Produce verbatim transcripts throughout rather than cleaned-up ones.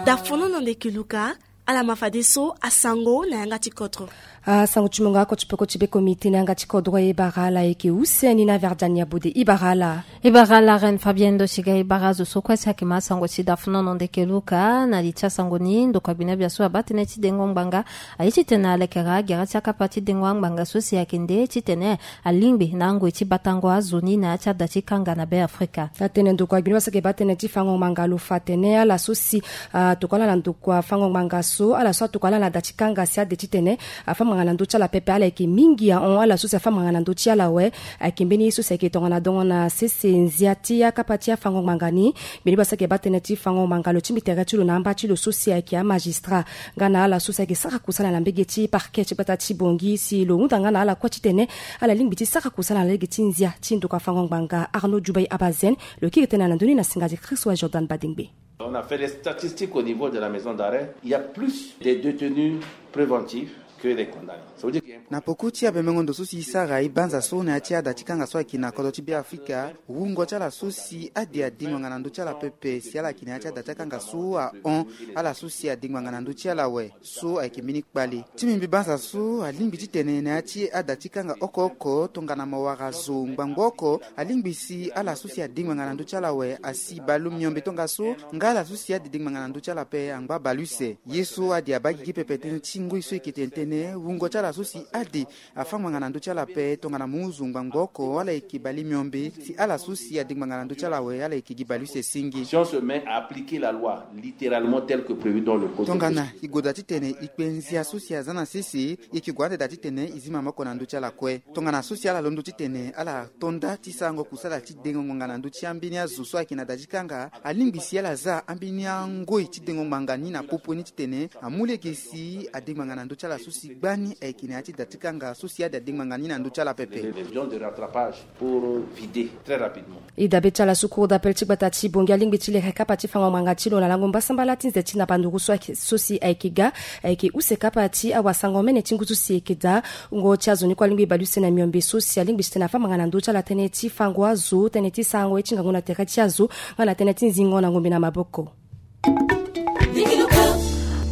Dafonono ndeke Luka, ala ma fadeso asango na yanga ti kodro. Asango ti mo nga oko ti peko ti be komite na yanga ti kodro e bara ala eke use ni na Verdiane Yabode, e bara ala. E bara ala Reine Fabienne Dosiga, e bara azo so kue si ayeke ma asango ti dafonono ndeke Luka. Na li ti asango ni, ndokua gbinabia so abaa tënë ti dengo ngbanga aye titene alekere agere ti akapa ti dengo angbanga so si ayeke nde titene alingbi na angoi ti batango azo ni na ya ti ada ti kanga na Beafrika. Atene ndokua gbinabia so ayeke baa tënë ti fango ngbanga lo fa atene ala so si atokua ala na ndokua fango ngbanga so, ala so atokua ala na da ti kanga si ade titene afa ngbanga na ndö ti ala pepe, ala yeke mingi ahon. Ala so si afa ngbanga na ndö ti ala awe, ayeke mbeni ye so si ayeke tongana dongo na sese nzia ti akapa ti afango ngbanga ni. Mbeni baa so ayeke baa tënë ti fango ngbanga lo ti mbi tere ti lo na amba ti lo so si ayeke amagistrat nga na ala so si ayeke sara kusala na mbege ti parquet ti gbata ti Bangui, si lo hunda nga na ala kue titene ala lingbi ti sara kusala na lege ti nzia ti ndokua fango ngbanga. Arnaud Djoubaye Abazen lo kiri tënë na ndö ni na singa ti Christ wa Jordan Badingbe. On a fait les statistiques au niveau de la maison d'arrêt. Il y a plus de détenus préventifs que des condamnés. Ça veut dire qu'il y a un... Na peko ti abemengo ndo so si e sara e banza so na ya ti ada ti kanga so ayeke na kodro ti Beafrika, wungo ti ala so si ade adingbi ngbanga na ndö ti ala pepe si ala yeke na ya ti ada ti akanga so ahon. Ala so si adingbi ngbanga na ndö ti ala awe so ayeke mbeni kpale. Ti mbi mbi banza so alingbi titene na ya ti ada ti kanga oko oko tongana mo wara zo ngbangbo oko, alingbi si ala so si adingbi ngbanga na ndö ti ala awe asi baleon miombe tongaso, nga ala so si ade dingbi ngbanga na ndö ti ala ape angba baleuse. Ye so ade abaa gigi pepe tënë ti ngoi so e yeke tene tënë wungo ti ala so si ade afa ngbanga na ndö ti ala ape tongana mo hon zo ngbangbo oko, ala yeke baleon miombe. Si ala so si adingbi ngbanga na ndö ti ala awe, ala yeke gi baleuse singi. Si on se met à appliquer la loi littéralement telle que prévue dans le code de procédure. Tongana e goda titene e kpe nzia so si aza na sese, e yeke gue ande daa titene e zi maboko na ndö ti ala kue. Tongana so si ala londo titene ala to nda ti sarango kusala ti dengo ngbanga na ndö ti ambeni azo so ayeke na da ti kanga, alingbi si ala za ambeni angoi ti dengo ngbanga ni na popo ni titene amu lege si adengo ngbanga na ndö ti ala so si gbani ayeke na ya ti da ti kanga so si ade adengo ngbanga ni na ndö ti ala pepe. Des gens de rattrapage pour vider très rapidement. E dabe ti ala so cour d'appel ti gbata ti Bangui alingbi ti leke kapa ti fango ngbanga ti lo na lango mbasambala ti nze ti na banduru so ayeke, so si ayeke ga, ayeke use kapa ti awasango mene ti ngu so si ayeke daa. Wungo ti azo ni kue alingbi baleuse na miombe so si alingbi titene afa ngbanga na ndö ti ala tënë ti fango azo, tënë ti sarango ye ti ngangu na tere ti azo, nga na tënë ti nzingo na ngombe na maboko.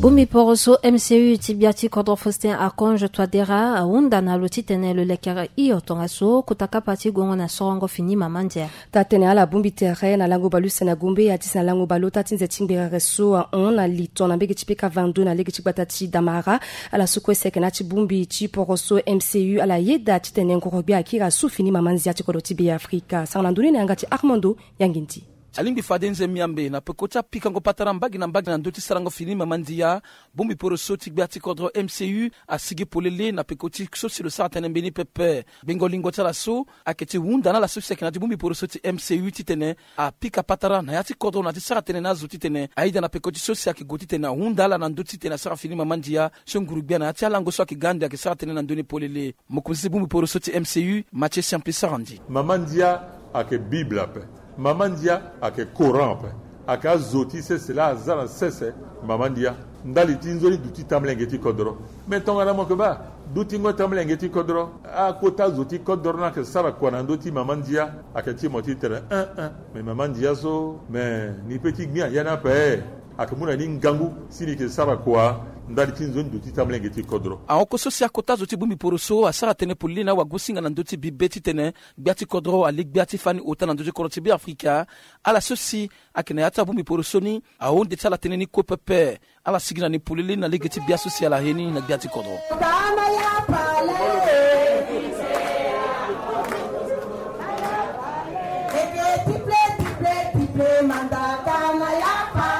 Bongbi poroso M C U ti gbia ti kodro Faustin Archange Touadéra ahunda na lo titene lo lekere hio tongaso kota kapa ti gongo na sorongo fini mama ndia. Taa-tënë ala bongbi tere na lango baleuse na Gombe, ya ti si na lango baleota ti nze ti ngberere so ahon na li ton na mbege ti peka vingt-deux na lege ti gbata ti Damara. Ala so kue si ayeke na ya ti bongbi ti poroso M C U ala yeda titene ngoro gbia akiri asu fini mama ndia ti kodro ti Beafrika. Sara na ndoni na yanga ti Armando Yangindi. Alingbi fade nze miambe na peko ti apikango patara mbage na mbage na ndö ti sarango fini mama ndia. Bongbi poroso ti gbia ti kodro M C U asigi polele na peko ti so si lo sara tënë mbeni pepe. Gbengo lingo ti ala so ayeke ti hunda na ala so si ayeke na ya ti bongbi poroso ti M C U titene apika patara na ya ti kodro na ya ti sara tënë na azo titene ayeda na peko ti so si ayeke gue titene ahunda ala na ndö titene asara fini mama ndia. So nguru gbia na ya ti alango so ayeke ga ande ayeke sara tënë na ndö ni polele. Mokonzi ti bongbi poroso ti M C U, Mathieu Siampi Sarandi. Mama ndia ayeke Bible ape. Mama ndia ayeke Coran ape. Ayeke azo ti sese laa aza na sese mama ndia. Ndali ti nzoni duti tamolenge ti kodro. Me tongana mo yeke baa dutingo tamolenge ti kodro, akota zo ti kodro ni ayeke sara kua na ndö ti mama ndia? Ayeke ti mo ti tene un un. Me mama ndia so, me ni pe ti gbia ya ni ape. Ayeke mu na ni ngangu si ni yeke sara kua ndali ti nzoni duti tamolenge ti kodro. Ahon oko so si akota zo ti bongbi poroso asara tënë polele na awagosinga na ndö ti bibe titene gbia ti kodro alingbi gbia ti fani ota na ndö ti kodro ti Beafrika. Ala so si ayeke na ya ti abongbi poroso ni ahunde ti ala tënë ni kue pepe. Ala sigi na ni polele na lege ti gbia so si ala he ni na gbia ti kodro.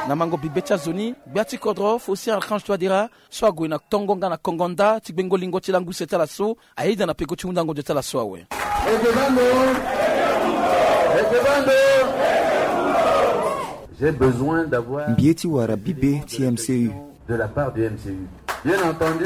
Na mango bibe ti azo ni, gbia ti kodro Faustin Archange Touadéra so ague na tongo nga na kongo nda ti gbengo lingo ti lango use ti ala so ayeda na peko ti hundango ndio ti ala so awe. J'ai besoin d'avoir... Mbi ye ti wara bibe ti M C U. De la part du M C U. Bien entendu.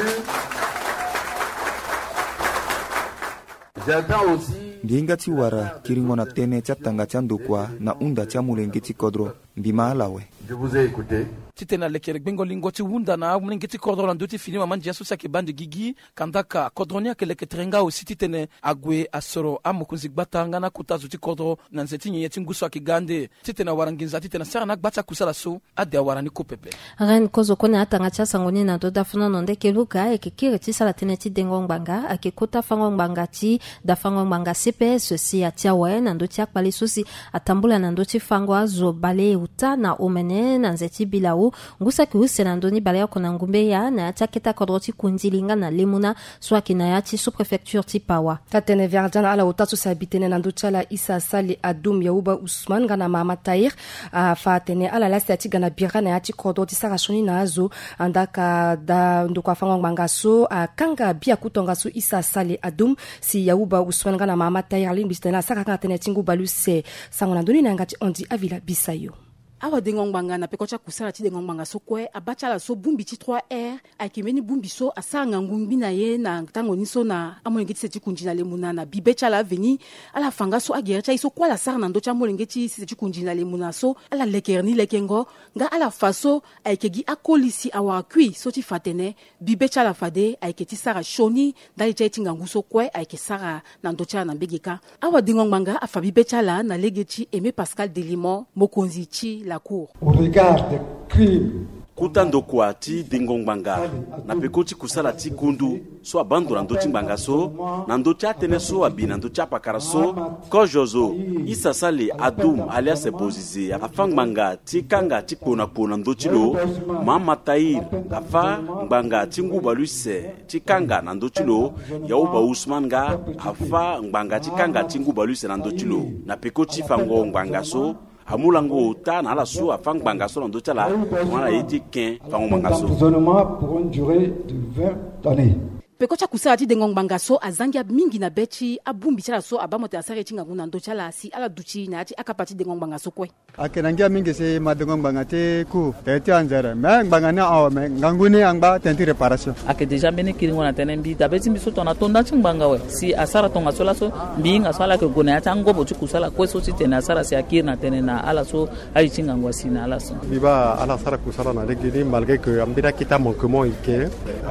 J'attends aussi... Mbi hinga ti wara kiringo na tënë ti atanga ti andokua na hunda ti amolenge ti kodro. Mbi ma ala awe. Je vous ai écouté. Titene alekere gbengo lingo ti hunda na amolenge ti kodro na ndö ti fini mama ndia so si ayeke bande gigi. Kandaka kodro ni ayeke leke tere nga aussi titene ague asoro amokonzi gbata nga na akota zo ti kodro na nze ti nyenye ti ngu so ayeke ga ande. Titene awara nginza titene asara na agba ti akusala so ade awara ni ko pepe. Ren kozo kue na atanga ti asango ni na ndö dafuna no ndeke luka ayeke kiri ti sara tënë ti dengo ngbanga ayeke kota fango ngbanga ti dafango ngbanga C P S si atia awe na ndö ti akpale so si atambula na ndö ti fango azo baleota na omene na nze ti bilau. Ngu saki use na ndö ni baleoko na ngumbeya na ya ti akete akodro ti kundili nga na lemuna so ayeke na ya ti sous-préfecture ti Pawa. Tatene verdian na ala ota so si abi tënë na ndö ti ala Issa Sali Adoum Yahuba Ousmane nga na Mahama Tahir afa atene ala laa si ati ga na bira na ya ti kodro ti sara sioni na azo. Andaka da ndoko afango ngbanga so akanga biaku tongaso Issa Sali Adoum si Yahuba Ousmane nga na Mahama Tahir alingbi titene asara kanga tënë ti ngu baleuse. Sango na ndö ni na yanga ti Andy Avila Bisayo. Awadengo ngbanga na peko ti akusala ti dengo ngbanga so kue abaa ti ala so bongbi ti trois R ayeke mbeni bongbi so asara ngangu ngbi na ye na tango ni so na amolenge ti se ti kunzi na lemuna na bibe ti ala aveni. Ala fa nga so agere ti aye so kue ala sara na ndö ti amolenge ti se ti kunzi na lemuna so ala lekere ni lekengo. Nga ala fa so ayeke gi akoli si awara kui so ti fa atene bibe ti ala fade ayeke ti sara sioni ndali ti aye ti ngangu so kue ayeke sara na ndö ti ala na mbege kâ. Awadengo ngbanga afa bibe ti ala na lege ti Aimé Pascal Delimon mokonzi ti la cour. Au regard des crimes. Kota ndokua ti dengo ngbanga na peko ti kusala ti kundu so abaa ndo na ndö ti ngbanga so na ndö ti atënë so abi na ndö ti apakara so. Kozo zo Issa Sali Adoum alias Bozize afa ngbanga ti kanga ti kpo na kpo na ndö ti lo. Mahama Tahir afa ngbanga ti ngu baleuse ti kanga na ndö ti lo. Yahuba Ousmane nga afa ngbanga ti kanga ti ngu baleuse na ndö ti lo. Na peko ti fango ngbanga so amu lango ota na ala so afa ngbanga so na ndö ti ala tongana na ye ti ken fango ngbanga so. Emprisonnement pour une durée de vingt années. Peko ti akusala ti dengo ngbanga so azangi mingi na be ti abongbi ti ala so abaa mo tene asara ye ti ngangu na ndö ti ala si ala duti na ya ti akapa ti dengo ngbanga so kue. Ayeke na ngia mingi si ma dengo ngbanga ti cour tene ti anzere me ngbanga ni awe me ngangu ni angba tene ti réparation. Ayeke déjà mbeni kiringo na tënë mbi dabe ti mbi so tongana to nda ti ngbanga awe si asara tongaso laso mbi hinga so ala yeke gue na ya ti angobo ti kusala kue so titene asara si akiri na tënë na ala so aye ti ngangu asi na ala so. Mbi baa ala sara kusala na lege ni malgré que ambeni akete amanquement e yeke.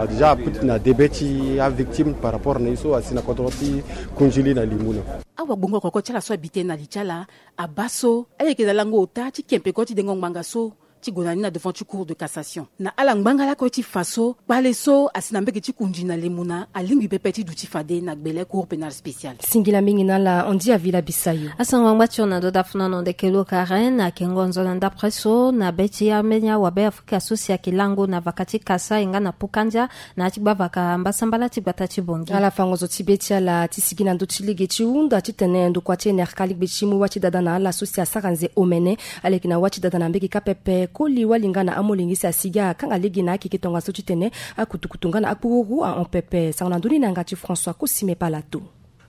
Déjà aputi na debe ti avictime par rapport na ye so asi na kodro ti kundili na limuna. Awagbongo koko ti ala so abi tënë na li ti ala abaa so ala yeke na lango ota ti ken peko ti dengo ngbanga so ti gue na ni na devant ti cour de cassation na ala ngbanga lakue ti fa so kpale so asi na mbege ti kundili na lemuna alingbi pepe ti duti fade na gbele cour pénale spéciale. Singila mingi na ala Andy Avila Bisayo. Asango angba ti hon na ndo dafuna na hon ndeke lo Karen ayeke ngonzo na ndapre so na be ti ambeni awabe Afrika so si ayeke lango na vaka ti Kasai nga na Pukandia na ya ti gbavaka mbasambala ti gbata ti Bongi. Ala fango zo ti be ti ala ti sigi na ndö ti lege ti hunda titene ndokua ti N R K alingbi ti mu wâ ti dada na ala so si asara nze omene. Aleke na wâ ti dada na mbege kâ pepe koli wali nga na amolenge si asigi akanga lege na akeke tongaso titene akutukutu nga na akpururu ahon pepe. Sango na ndö ni na yanga ti François Kosime Palato.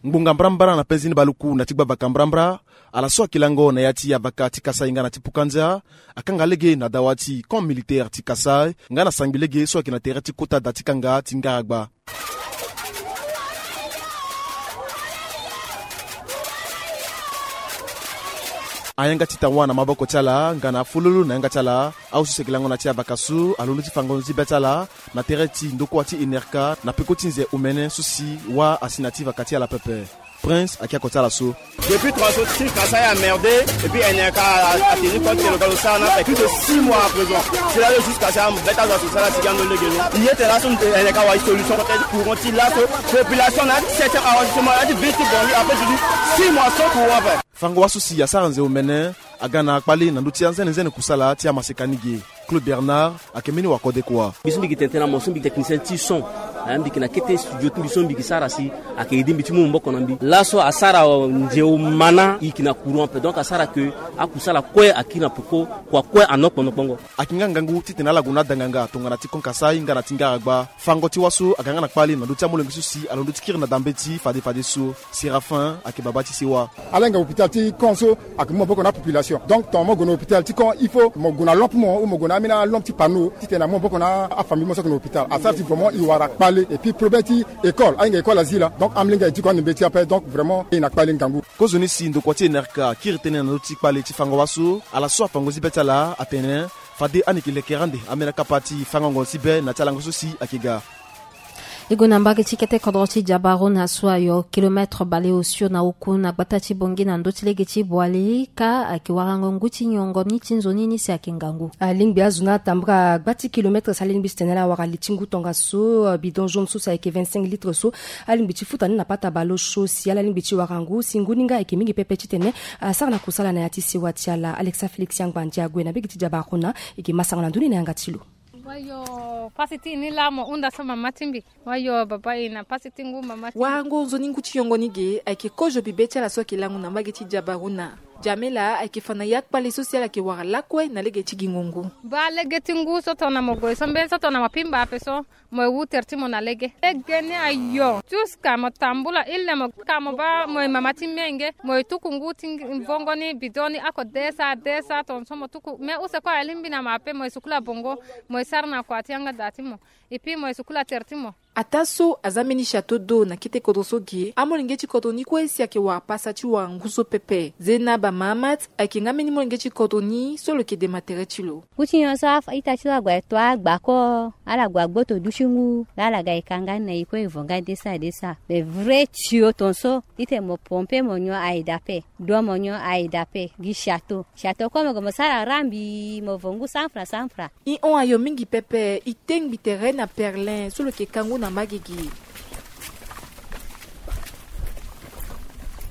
Ngbonga mbrambra na penzi ni baluku na ti gbavaka mbrambra. Ala so ayeke lango na ya ti avaka ti Kasai nga na ti Pukandia akanga lege na dawa ti camp militaire ti Kasai nga na sangbi lege so ayeke na tere ti kota da ti kanga ti ngaragba. Ayanga ti tawa na maboko ti ala nga na afololo na yanga ti ala. Ahusu si ayeke lango na ti avaka so alondo ti fango nzi be ti ala na tere ti ndokua ti N R K na peko ti nze omene so si wâ asi na ti vaka ti ala pepe. Prince ayeke oko ti ala so. Depuis trois jours ti Kasai a merdé et puis N R K a tenu compte que le gars osala na fait plus de six mois à présent. C'est là jusqu'à ça beta za sosala ti gando lege lo. Ye tena so N R K wa solution peut-être courant ti laso population na septième arrondissement na ti ville ti Bongi après je dis six mois sans courant fait. Fango wâ so si asara nze omene aga na kpale na ndö ti anzenenzene kusala ti amaseka ni ge. Claude Bernard ayeke mbeni wakodekua. Mbi so mbi yeke tene tënë na mo so mbi yeke technicien ti son. Eh, mbi yeke na kete studio ti mbi so mbi yeke sara si ayeke aidé mbi ti mu maboko na mbi. Laso asara nze omana e yeke na courant ape donc asara ke akusala kue akiri na peko kua kue anokpo nokpongo. Ayeke nga ngangu titene ala gue na ada nganga tongana ti kon Kasai nga na ti ngaragba. Fango ti wâ so aga nga na kpale na ndö ti amolenge so si alondo ti kiri na da mbeti fade fadeso. Séraphin ayeke babâ ti sewa. Ala hinga hôpital ti kon so ayeke mu maboko na apopulation donc tongana mo gue na hôpital ti kon il faut mo gue na lampe mo ou mo gue na ambeni alampe ti panneau titene amu maboko na afamille mo so ayeke na hôpital asara si vraiment e wara kpale. Et puis problème ti école, ahinga école azi laa. Donc amolenge aye ti ko ande mbeti ape. Donc vraiment e na kpale ngangu. Kozoni si ndokua ti enerka kiri tënë na ndö ti kpale ti fango wa so ala so afa ngozi be ti ala atene fade ani yeke lekere ande ambeni akapa ti fango ngongo ti be na ti alango so si ayeke ga. E gue na mbage ti kete kodro ti Jabarona so ayo kilomètre baleosio na oku na gbata ti Bangui na ndö ti lege ti Boali ka ayeke warango ngu ti nyongo ni ti nzoni ni si ayeke ngangu. Alingbi azo ni atambula gba ti kilomètre si alingbi si tene ala wara li ti ngu tongaso, bidon jaune so si ayeke vingt-cinq litres so alingbi ti futa ni na pata baleosio si ala lingbi ti wara ngu si ngu ni nga ayeke mingi pepe titene asara na kusala na ya ti sewa ti ala. Alexa Félix Angbandi ague na mbage ti Jabarona. E ke masango na ndoni na yanga ti lo. Wayo pasi ti e ni laa mo hunda so mama ti mbi. Wayo baba e na pasi ti ngu mama ti mbi. Warango nzoni ngu ti yongo ni ge ayeke kozo bibe ti ala so ayeke lango na mbage ti Jabarona. Jamela ayeke fa na ya kpale so si ala yeke wara lakue na lege ti gingo ngu. Baa lege ti ngu so tongana mo gue so mbeni so tongana mo pimba ape so mo ye wu tere ti mo na lege. Lege ni ayo. Juska mo tambula ile mo ka mo baa mo ye mama ti menge mo ye tuku ngu ti vongo ni bidon ni ako desa desa tongaso mo tuku me use kue alingbi na mo ape mo ye sukula bongo mo ye sara na kua ti yanga daa ti mo. Et puis mo ye sukula tere ti mo. Ataa so aza mbeni château d'eau na kete kodro so ge amolenge ti kodro ni kue si ayeke wara pasa ti wara ngu so pepe. Zena bamahamat ayeke nga mbeni molenge ti kodro ni so lo yeke dema tere ti lo. Ngu ti nyon so a- ita ti lo ague ato agba ko. Ala gue agboto du ti ngu la ala ga e kanga ni na e kue e vo nga desa desa. Mais vrai tio tongaso ite mo pompe mo nyon aye dape. Do mo nyon aye dape gi château château kue mo gue mo sara rambi mo vo ngu cent francs cent francs. E hon ayo mingi pepe. E tengbi tere na perlin so lo yeke ka ngu na mbage gi.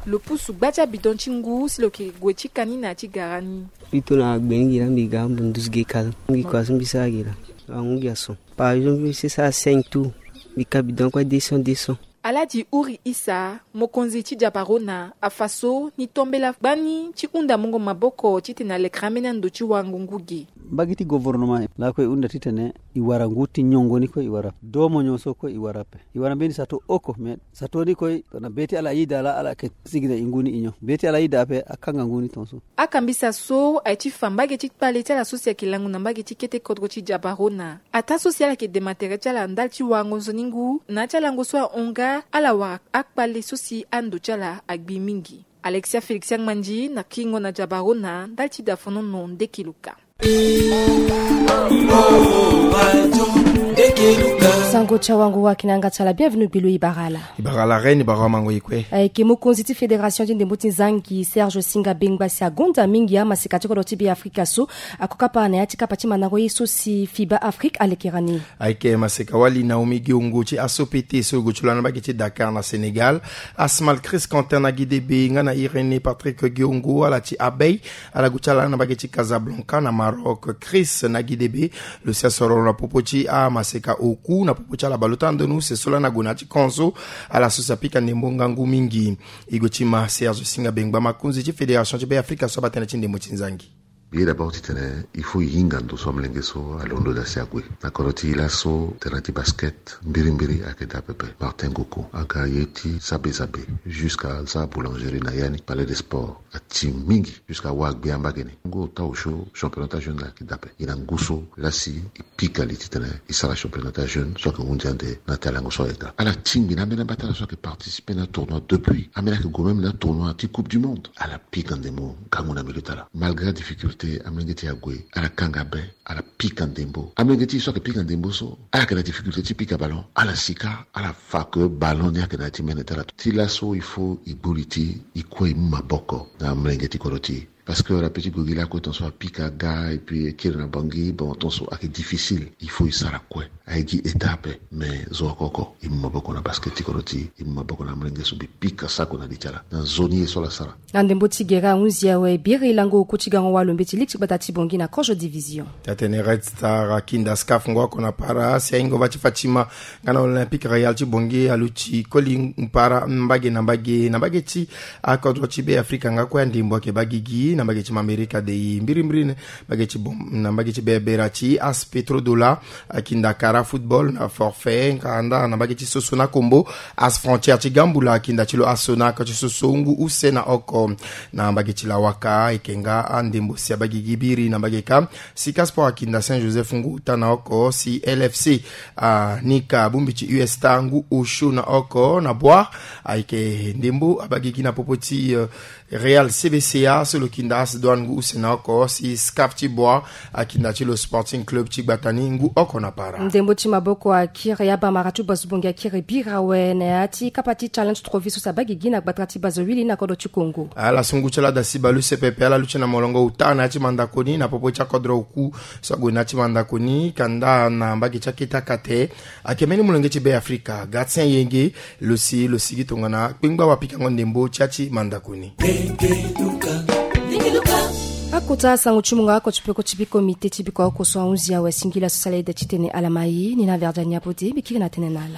Lo pusu gba ti abidon ti ngu si lo yeke gue ti ka ni na ya ti gara ni. Mbi to na gbe ni gi laa mbi ga mbi nduzu ge ka. Mbi kua so mbi sara ge laa. Angu gi ason. Par exemple mbi sara cinq tour. Mbi ka bidon kue deux cents deux cents. Aladi Uri Isa mokonzi ti Jabarona afa so ni tombela gbani ti hunda mungo maboko titene alekere ambeni ando ti warango ngu ge. Mbage ti gouvernement lakue e hunda titene e wara ngu ti nyongo ni kue e wara ape. Do mo nyon so kue e wara ape. E wara mbeni sato oko me sato ni kue tongana be ti ala ayida laa ala yeke sigi na e ngu ni e nyon be ti ala ayida ape akanga ngu ni tongaso. Akambisa so aye ti fa mbage ti kpale ti ala so si ayeke lango na mbage ti kete kodro ti Jabarona. Ataa so si ala yeke dema tere ti ala ndali ti warango nzoni ngu na ya ti alango so ahon nga ala wara akpale so si ando ti ala agbi mingi. Alexia Félix Angmandi na kingo na Jabarona ndali ti dafonono nde kiluka. Sango ti awango waki na yanga ti ala bienvenu gbi lo e bara ala. E bara ala reine e bara wamango e kue. Ayeke mokonzi ti fédération ti ndembo ti nzangi Serge Singa Bengba si agonda mingi amaseka ti kodro ti Be Afrika so ako kapa na ya ti kapa ti mandango ye so si Fiba Afrique alekera ni. Ayeke maseka wali Naomi Giongo ti Asopete so e gue ti lo na mbage ti Dakar na Sénégal. Asmal Chris Quentin na Guidebe nga na Irénée Patrick Giongo ala ti Abei. Ala gue ti ala na mbage ti Casablanca na Maroc. Chris na Guidebe lo si asoro na popo ti amaseka oku na popo ti ala baleota ndo ni use so lani ague na ya ti kon so ala so si apika ndembo ngangu mingi. E gue ti ma Serge Singa Bengba makonzi ti fédération ti Be Afrika so abaa tënë ti ndembo ti nzangi. Ye d'abord titene il faut e hinga ndo so amolenge so alondo daa si ague na kodro ti e laso terrain ti basket mbirimbiri ayeke daa pepe. Martin Goko aga ye ti sabe sabe jusqu'à sa boulangerie na ya ni palais de sport ati mingi jusqu'à wa agbia mbage ni. Ngo ota osio championnat ti ajeune ayeke daa ape. E na ngu so lasi e pika li titene e sara championnat ti ajeune so ayeke hunzi ande na ya ti alango so ayeke daa ala tingbi na ambeni amba ti ala so ayeke participer na atournoi depuis ambeni ayeke gue même na atournoi ti coupe du monde ala pika ndembo ngangu na milieu ti ala malgré adifficulté amolenge ti e ague ala kanga be. Ala pika ndembo amolenge ti e so ayeke pika ndembo so ala yeke na difficulté ti pika ballon ala sika ala fa ke ballon ni ayeke na ya ti mene ti ala. Ti laso il faut e gbu li ti e kue e mu maboko na amolenge ti kodro ti e. Parce que ala pe ti gue gi lakue tongaso apika aga et puis e kiri na Bangui bon tongaso ayeke difficile il faut e sara kue. Aye gi état ape mais zo oko oko e mu maboko na basket ti kodro ti e e mu maboko na amolenge so mbi pika sako na li ti ala na nzoni ye so ala sara. Na ndembo ti gere ahunzi awe biri lango oku ti gango walo mbeti ligue ti gbata ti Bangui na kozo division. Ti atene Red Star akinda SCAF ngo oko na para si ahinga va ti Fatima nga na Olympique Royal ti Bangui aluti koli mpara mbage na mbage na mbage ti akodro ti Be Afrika nga kue andembo ayeke baa gigi. Na mbage ti mamerika de i mbirimbiri na mbage ti bom na mbage ti berbera ti as petrodola akinda kara football na forfait kanda na mbage ti soso na kombo. As frontière ti gambula akinda ti lo aso na aka ti soso ngu use na oko. Na mbage ti lawaka eke nga andembo si abagigi biri na mbage ka sika sport akinda saint joseph ngu uta na oko si lfc anika bongbi ti usta ngu osio na oko na boi. Ayeke ndembo abagigi na popo ti real cbca so lo kinda as douane ngu use na oko si scaf ti boi akinda ti lo sporting club ti gbata ni ngu oko na para. Ndembo ti maboko akiri abamara ti bas bongi akiri biri awe na ya ti kapa ti challenge trophy so si abagigi na gbata ti bas wili na kodro ti kongo. Ala sungu ti ala dasi balu sepepe ala lu ti na molongo uta na ya ti mandako ni na popo ti akodro oku so ague na ya ti mandako ni kanda na mbage ti akete akate. Ayeke mbeni molenge ti be afrika gatien yenge lo si lo sigi tongana kpengba wapikango ndembo ti ya ti mandako ni. Akota asango ti mungo oko ti peko ti bikomite ti biko oko so ahunzi awe singila so sala ede ti tene ala mai ni na verdiani apo de bikiri na tene na ala.